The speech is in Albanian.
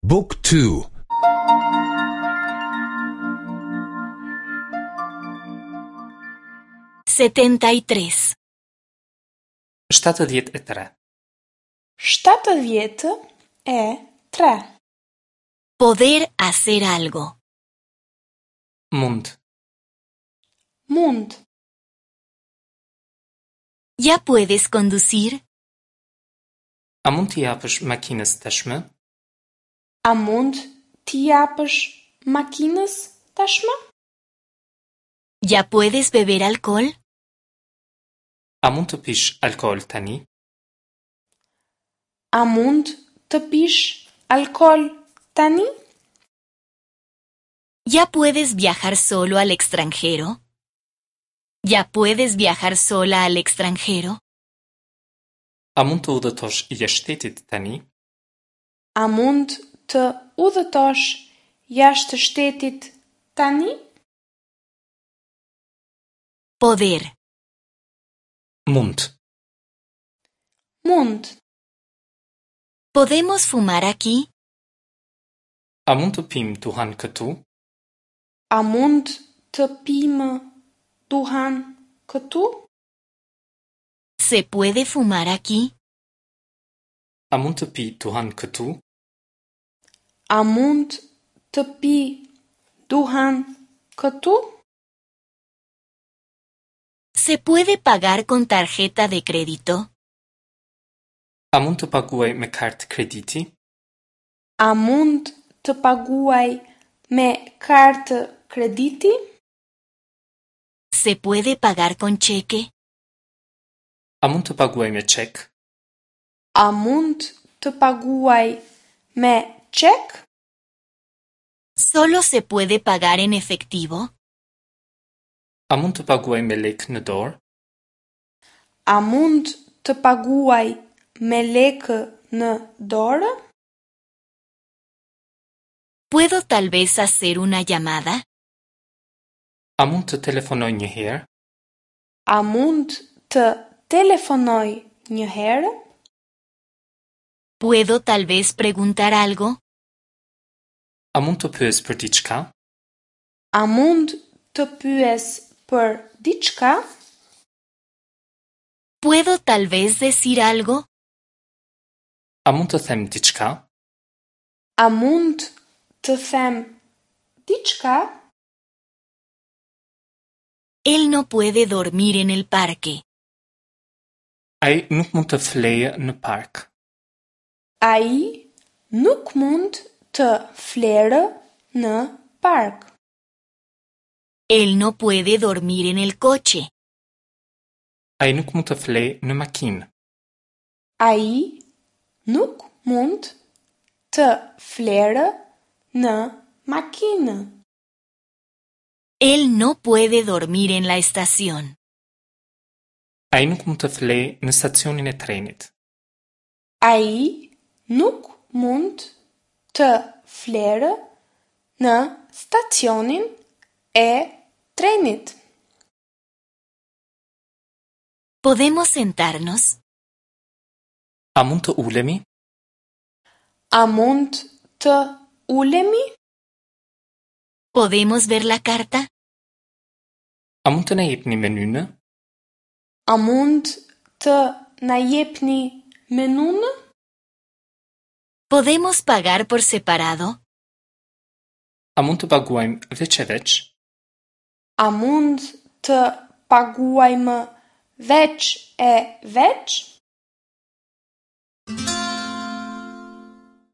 บุ๊กทู 73. 73. 73. Poder hacer algo. Mund. Mund. ¿Ya puedes conducir? A mund t'i japësh makinës tashmë? A mund t'i japësh makinës tashmë? ¿Ya puedes beber alcohol? A mund të pish alkool tani? A mund të pish alkool tani? ¿Ya puedes viajar solo al extranjero? ¿Ya puedes viajar sola al extranjero? A mund të udhëtosh jashtë shtetit tani? A mund të udhëtosh jashtë shtetit tani? Poder. Mund. Mund. ¿Podemos fumar aquí? A mund të pimë duhan këtu? A mund të pimë duhan këtu? ¿Se puede fumar aquí? A mund të pi duhan këtu? A mund të pi duhan këtu? ¿Se puede pagar con tarjeta de crédito? A mund të paguaj me kartë krediti? A mund të paguaj me kartë krediti? ¿Se puede pagar con cheque? A mund të paguaj me çek? A mund të paguaj me çek? ¿Solo se puede pagar en efectivo? A mund të paguaj me lekë në dorë? A mund të paguaj me lekë në dorë? ¿Puedo tal vez hacer una llamada? A mund të telefonoj një herë? A mund të telefonoj një herë? ¿Puedo tal vez preguntar algo? A mund të pyes për diçka? A mund të pyes për diçka? ¿Puedo tal vez decir algo? A mund të them diçka? A mund të them diçka? Él no puede dormir en el parque. Ai nuk mund të flejë në park. Ai nuk mund të flerë në park. Él no puede dormir en el coche. Ai nuk mund të flejë në makinë. Ai nuk mund të flerë në makinë. Él no puede dormir en la estación. Ai nuk mund të flejë në stacionin e trenit. Ai nuk mund të flerë në stacionin e trenit. ¿Podemos sentarnos? A mund të ulemi? A mund të ulemi? ¿Podemos ver la carta? A mund të na jepni menynë? A mund të na jepni menunë? ¿Podemos pagar por separado? A mund të paguajmë veç e veç? A mund të paguajmë veç e veç?